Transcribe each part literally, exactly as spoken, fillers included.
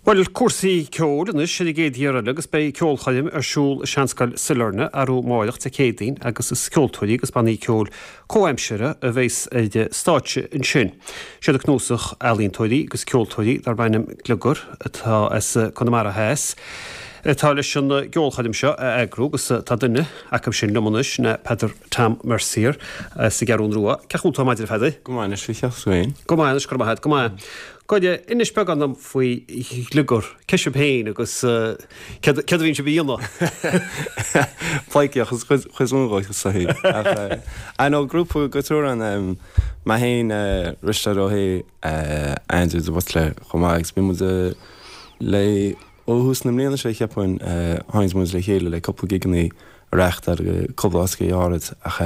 Bhuel, cúrsaí ceoil anois ar an gcéad iarraidh eile agus beidh ceolchoirm ar siúl i Seanscoil Sailearna arú amáireach Dé Céadaoin agus is ceoltóirí agus bannaí ceoil comhaimseartha a bheas ar stáitse ansin. Siad an cnuasach ealaíontóirí agus ceoltóirí darb ainm Gliogar atá as Conamara Theas atá leis an gceolchoirm seo a eagrú agus tá duine acu sin liom anois ná Peadar Tom Mercier as an gCeathrú Rua. Cén chaoi a bhfuil tú ar maidin a Pheadair? Go maith anois faoi cheart féin. Go maith anois, go maith, go maith. Goide, inis beagán dom faoi Ghliogar, cé sibh féin agus céard a bhíonn sibh a dhéanamh? Pleidhcíocht is chuid mhór dhó sa shaol. Ach I know grúpa go triúr ann, mé féin, Risteard Ó hAodha, Andrew de Buitléir chomh maith agus bhí muid le ó thús na mbliana seo cheapfainn tháinig muid le chéile le cúpla gigeanna a reáchtáil go cúpla áit áirid ach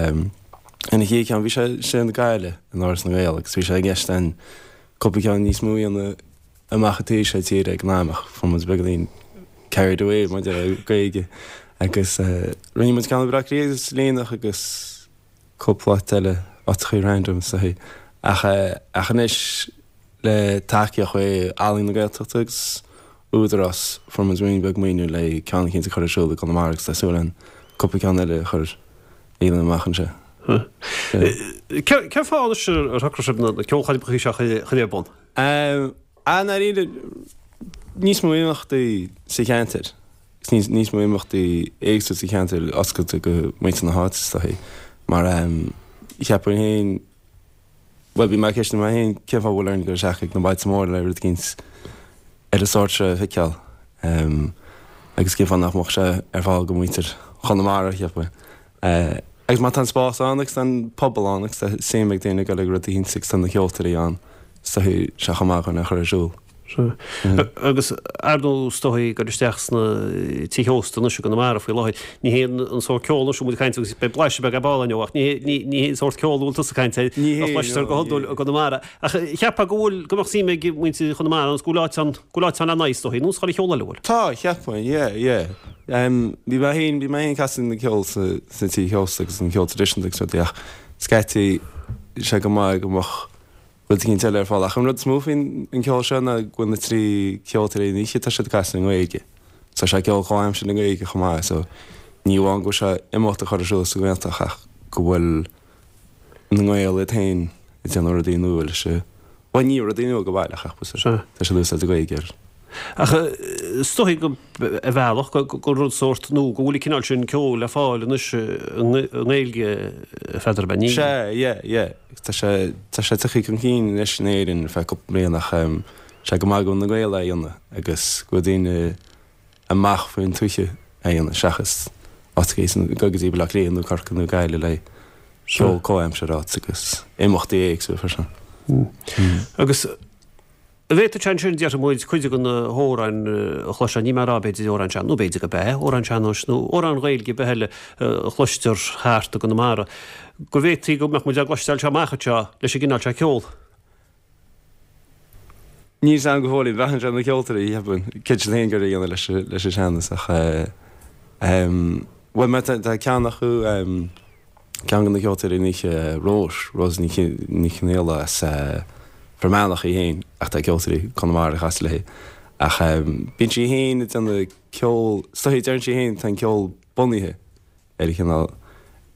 ina chéad cheann bhí sé sé na Gaillimh in Áras na nGael agus bhí sé i gceist an cúpla ceann níos mó a dhéanamh amach an taobh seo tíre ag an am ach fuair muid beagáinín carried away maidir le Gaeilge agus rinne muid ceann i Baile Átha Cliath agus Luimneach agus cúpla áit eile áiteachaí random so ach ach anois le tacaíocht ó Ealaín na Gaeltachta agus Údarás fuair muid roinnt beag maoiniú le ceann eicínt a chur ar siúl i gConamara agus tá súil againn cúpla ceann eile a chur a dhéanamh amach anseo. Cén fáth anois ar shocraigh sibh na ceolchoirmeacha seo a chur ar bun? I ndáiríre níos mó imeachtaí sa cheantar, níos níos mó imeachtaí éagsúla sa cheantar oscailte go muintir na háite is dóichí mar cheapfainn féin bhuel bhí mé ag ceistiú mé féin cén fáth a bhfuil orainn dul isteach ag na bailte móra le rud eicínt ar an sórt seo a fheiceáil agus cén fáth nach mbeadh sé ar fáil go muintir Chonamara cheapfainn. Agus má tá an spás ann agus tá an pobal ann agus tá suim ag daoine ag dul ag rud eicínt agus tá na ceoltóirí ann, is dóichí sé chomh maith chun é a chur ar siúl. Sea. Agus ar ndóigh is dóichí ag dul isteach sna tithe ósta anois i gConamara faoi láthair, ní hé an sórt ceoil anois a bhfuil muid ag caint agus beidh blaiseadh beag ar ball inniu ach ní hé ní hé an sórt ceoil a bhfuil tusa ag caint air a chloistear go hiondúil i gConamara. Ach cheapfá go bhfuil, go mbeadh suim ag muintir Chonamara ann agus go bhfuil áit ann, go bhfuil áit ann le n-aghaidh is dóichí, nó is chuile cheol eile, an bhfuil? Tá, cheapfainn, yeah, yeah. Bhí mé féin, bhí mé féin ag casadh na ceol sa, sna tithe ósta agus an ceol traidisiúnta agus rudaí ach scaití sé go maith go mbeadh rud eicínt eile ar fáil. Ach an rud is mó faoin an ceol seo ná go bhfuil na trí ceoltóirí an oíche, tá siad ag casadh i nGaeilge. Tá sé ceol comhaimseartha i nGaeilge chomh maith so ní amháin go bhfuil sé imeacht a chur ar siúl sa nGaeltacht ach go bhfuil na Gaeil iad féin ag déanamh rudaí nua leis an, bhuel ní rudaí nua go baileach ach tá siad ag úsáid Gaeilge air. Ach is dóichí go, ar bhealach, gur rud sórt nua go bhfuil an cineál sin ceoil le fáil anois i nGaeilge, a Pheadair, ab ea? Ní. Sea, yeah, yeah. Tá sé, tá sé tagtha chun cinn anois in Éirinn ar feadh cúpla bliain ach sé go maith go bhfuil na Gaeil á dhéanamh agus go bhfuil daoine amach faoin tuaithe á dhéanamh seachas áit éigin go dtí Baile Átha Cliath nó Corcaigh nó Gaillimh le ceol comhaimseartha áit agus imeachtaí éagsúla freisin. Agus an bhféadfadh sé ansin, déarfaidh muid, cuid de na hamhráin a chloistear, níl mé ag rá b'fhéidir amhráin sean, nó b'fhéidir go b'ea, amhráin sean-nóis nó amhráin Ghaeilge ar bith eile a chloistear thart i gConamara, go bhféadfaí go mbeadh muid á gcloisteáil seo amach anseo leis an gcineál seo ceoil. Níl 's agam go fóill, braitheann sé ar na ceoltóirí, cheapfainn, céard siad féin ag iarraidh a dhéanamh leis leis an sean-nós ach bhuel mar tá ceann acu, ceann de na ceoltóirí an oíche, Róis, Rose Ní Ní Chonghaile as Fear Manach í féin ach tá ceoltóirí Conamara ag casadh léi ach bíonn sí féin ag déanamh ceol, is dóichí deireann sí féin tá an ceol bunaithe ar an chineál,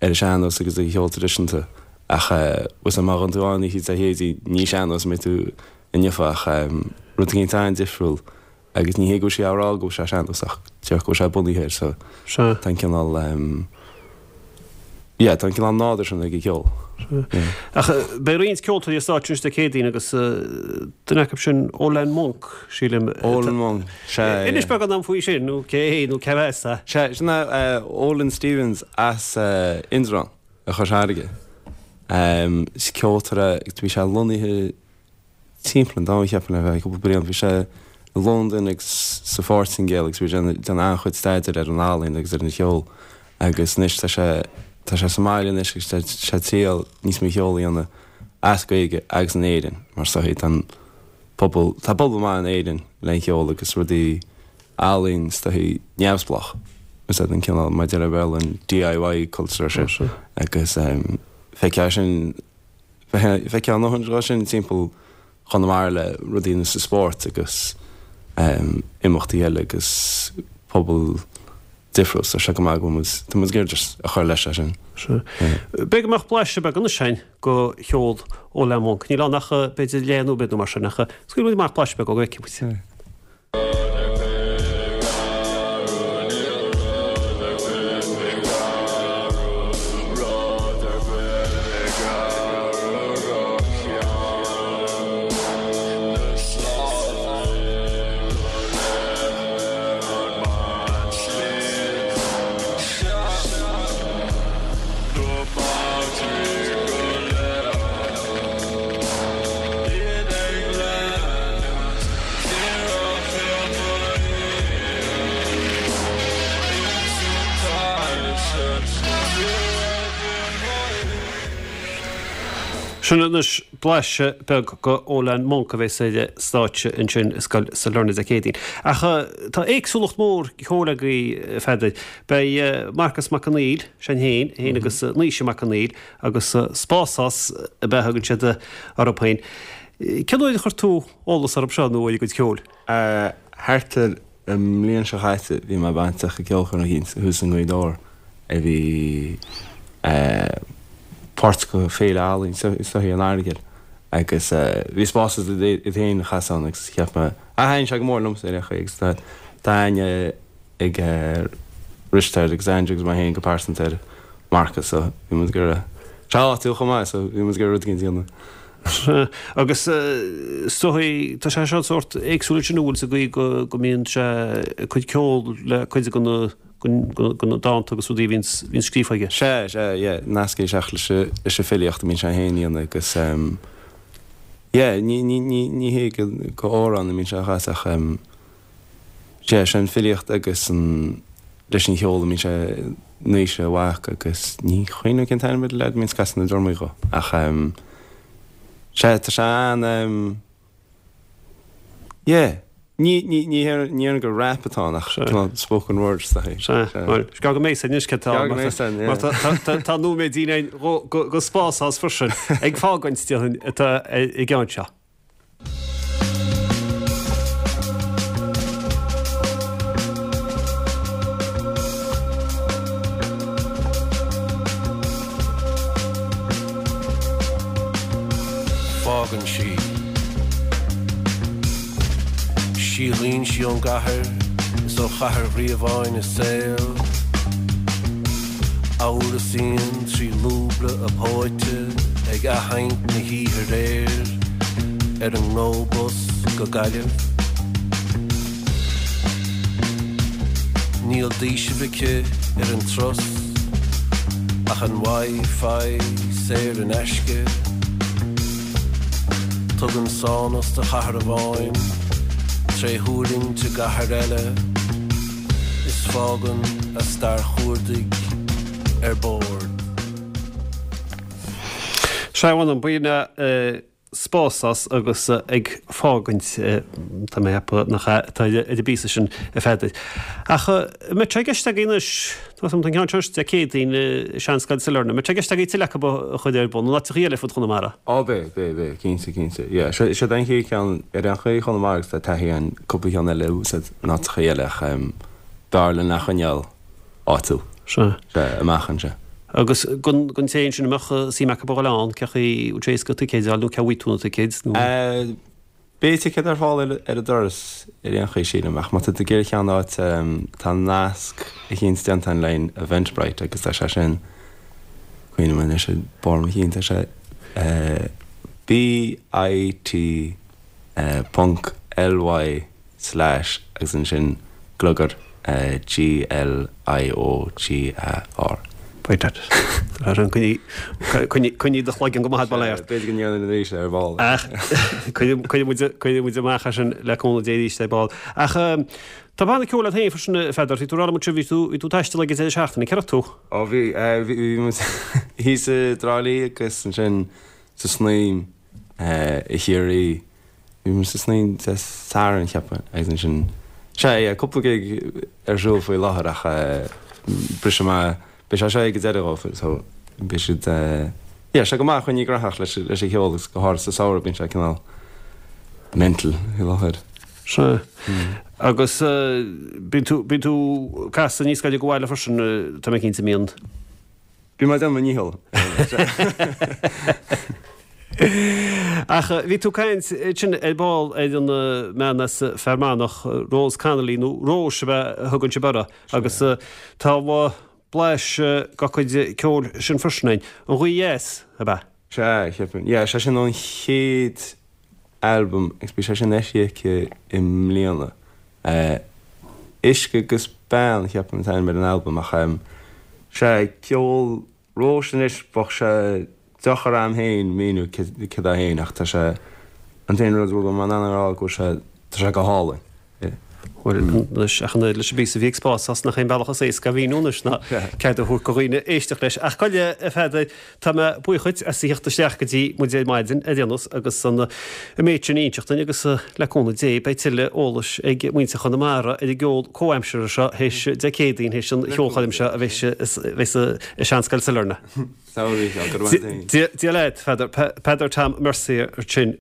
ar an sean-nós agus ar an cheol traidisiúnta ach bhfuil 's a'm má ghabhann tú ann oíche Dé Céadaoin ní sean-nós a mbeidh tú inniu ach rud eicínt an-difriúil agus ní hé go bhfuil sí á rá go bhfuil sé sean-nós ach deir go bhfuil sé bunaithe air so tá an cineál yeah tá an cineál nádúr sin ag an cheol. Ach beidh roinnt ceoltóirí ar stáitse anois Dé Céadaoin agus duine acu sin Olan Monk, sílim. Olan Monk, sea. Inis beagán dom faoi sin, nó cé hé nó cé as é? Sea, sin é Olan Stephens as Indreabhán i gCois Fharraige. Is ceoltóir é, bhí sé lonnaithe timpeall an domhain, cheapfainn, ar feadh cúpla bliain. Bhí sé i Londain agus sa Phortaingéil agus bhí sé ag déanamh an-chuid staidéir ar an ealaín agus ar an cheol agus anois tá sé tá sé sa mbaile anois agus tá sé ag triail níos mó cheol a dhéanamh as Gaeilge agus in Éirinn mar is dóichí tá an pobal tá pobal maith in Éirinn le an cheol agus rudaí ealaín is dóichí neamhspleách is é an cineál mar a deir an Béarla an DIY culture sin agus feicfeá sin Feicfeá a ndóthain de sin timpeall Chonamara le rudaí ar nós spóirt agus imeachtaí eile agus pobal difriúil so sé go maith go bhfuil muid tá muid ag iarraidh just a chur leis sin. B'fhéidir go mbeadh blaiseadh beag anois againn go cheol Olan Monk. Níl ann ach b'fhéidir leath nóiméad nó mar sin ach scaoil muid amach blaiseadh beag ó go bhfeicfidh muid. Sin anois blaiseadh beag go Olan Monk a bheas ar stáitse ansin i Scoil Sailearna Dé Céadaoin. Ach tá éagsúlacht mhór ceoil agaibh, a Pheadair. Beidh Marcas Mac Conghail, sin féin, féin agus Naoise Mac Conghail agus Spásás ab ea a thugann siad orthu féin. Cén uair a chuir tú eolas orthu seo nó ar a gcuid ceoil? Thart ar an mbliain seo chaite bhí mé bainteach i gceolchoirm eicínt thuas i nGaoth Dobhair a bhí páirt de Féile Ealaíon is dóichí an Earagail agus bhí Spásás iad féin ag casadh ann agus cheap mé, ah thaitin sé go mór liomsa ar aon chaoi agus tá tá aithne ag Risteard agus Andrew agus mé féin go pearsanta ar Marcus so bhí muid ag iarraidh, sé áitiúil chomh maith so bhí muid ag iarraidh rud éigin a dhéanamh. Agus is dóichí tá sé seo sórt éagsúil ansin an bhfuil sa gcaoi go go mbíonn sé ag cur ceol le cuid de na de na dánta agus rudaí a bhíonns bhíonns scríofa aige. Sea, sea, yeah, nasctha isteach leis an leis an filíocht a mbíonn sé féin a dhéanamh agus ehm yeah, ní ní ní ní hé go go amhrán a mbíonn sé a chasadh ach ehm sea, sé an filíocht agus an leis an cheol a mbíonn sé Naoise a mhac agus ní chuimhním cén t-ainm ar an leaid a mbíonns ag casadh na dtrumaí dhó ach ehm sea, tá sé an ehm yeah. Ní, ní, ní ní déarfainn gur rap atá ann ach cineál spoken word is dóichí. Sea, bhuel, is gá go mbeidh anois cé tá, mar tá, tá nóiméidín againn go, go Spásás freisin ag fágaint déarfainn atá i gceann seo. Fágann sí. Síothlaíonn sí ón gcathair is ó chathair Ghríobháin a saol. Amhrasaíonn trí lúbra a póite ag athadhaint na hoíche aréir ar an nGo Bus go Gaillimh. Níl d'fhaoiseamh aici ar an turas ach an Wi-Fi saor in aisce. Tugann sánas do chathair amháin tré thuirlingt i gcathair eile is fágann a stair chuardaigh ar bord. Sea, mh'anam, b'in é Spásás agus ag fágaint, tá mé ag ceapadh nach ea, atá ar an bpíosa sin, a Pheadair. Ach an mbeidh sé i gceist agaibh anois, tá an ceann seo Dé Céadaoin i Seanscoil Sailearna, an mbeidh sé i gceist agaibh tuilleadh acu a chur ar bun in áiteachaí eile ar fud Chonamara? Á beidh, beidh, beidh, cinnte, cinnte. Yeah, seo, seo an chéad cheann ar aon chaoi i Chonamara agus tá taithí againn cúpla ceann eile a úsáid in áiteachaí eile ach b'fhearr linn é a choinneáil áitiúil. Sea. Sea, amach anseo. Agus don té ansin a mbeadh suim acu a dhul ann, cén chaoi a bhfuil sé éasca ticéid a fháil nó cá bhfaighidh tú na ticéid nó? Beidh ticéid ar fáil ar an doras ar aon chaoi sílim ach má tá tú ag iarraidh ceann a fháil tá nasc eicínt déanta againn le Eventbrite agus tá sé sin, cuimhním anois i barr mo chinn, tá sé BIT ponc LY slash agus ansin gliogar G L I O G A R. Beidh that. Coinnigh coinnigh do chloigeann go maith bail ort. B'fhéidir go ndéanfainn arís é ar ball. Ach cuirfidh muid cuirfidh muid amach é sin le cúnamh Dé arís ar ball. Ach tá banna ceoil agat féin freisin a Pheadair, bhí tú ag rá liom ansin bhí tú bhí tú ag taisteal ag an deireadh seachtaine, cé raibh tú? Ó bhí bhí muid thíos i dTrá Lí agus ansin sa Snaidhm i Chiarraí. Bhí muid sa Snaidhm Dé Sathairn cheapfainn agus ansin, sea, yeah, cúpla gig ar siúl faoi láthair ach briseadh maith, beidh sé seo ag an deireadh dhóibh so beidh siad, yeah, sé go maith coinneáil gnóthach leis leis an cheol agus go háirithe sa samhradh bíonn sé cineál mental faoi láthair. Sea. Agus bíonn tú, bíonn tú ag casadh níos gaire do bhaile freisin, tá mé cinnte, mbíonn? Bím ag déanamh mo dhícheall. Ach bhí tú ag caint ansin ar ball ar an mbean as Fear Manach, Rose Connolly, nó Róis ab ea a thugann sibh uirthi, agus tá blaiseadh dá cuid ceoil sin freisin ann. An Ghaoth Dheas, ab ea? Sea, cheapfainn. Yeah, sé sin ón chéad albam agus bhí sé sin eisithe aici i mbliana. Uisce agus Bean, cheapfainn an t-ainm ar an albam ach sea, ceol Róis anois, bheadh sé deacair a'm féin míniú céard é féin ach tá sé, an t-aon rud a bhfuil mé in ann a rá go bhfuil sé, tá sé go hálainn. Bhuel, anois, ach an oiread leis an bpíosa a bhí ag Spás nach é an bealach is éasca a mhíniú anois ná cead a thabhairt do dhaoine éisteacht leis. Ach gabh i leith, a Pheadair, tá mé buíoch dhuit as a theacht isteach go dtí muid ar maidin ar aon nós agus an méid sin a inseacht dúinn agus le cúnamh Dé beidh tuilleadh eolais ag muintir Chonamara ar an gceol comhaimseartha seo théis Dé Céadaoin, théis an cheolchoirm seo a bheas i Seanscoil Sailearna. Dia leat, Pheadar. Peadar Tom Mercier ansin.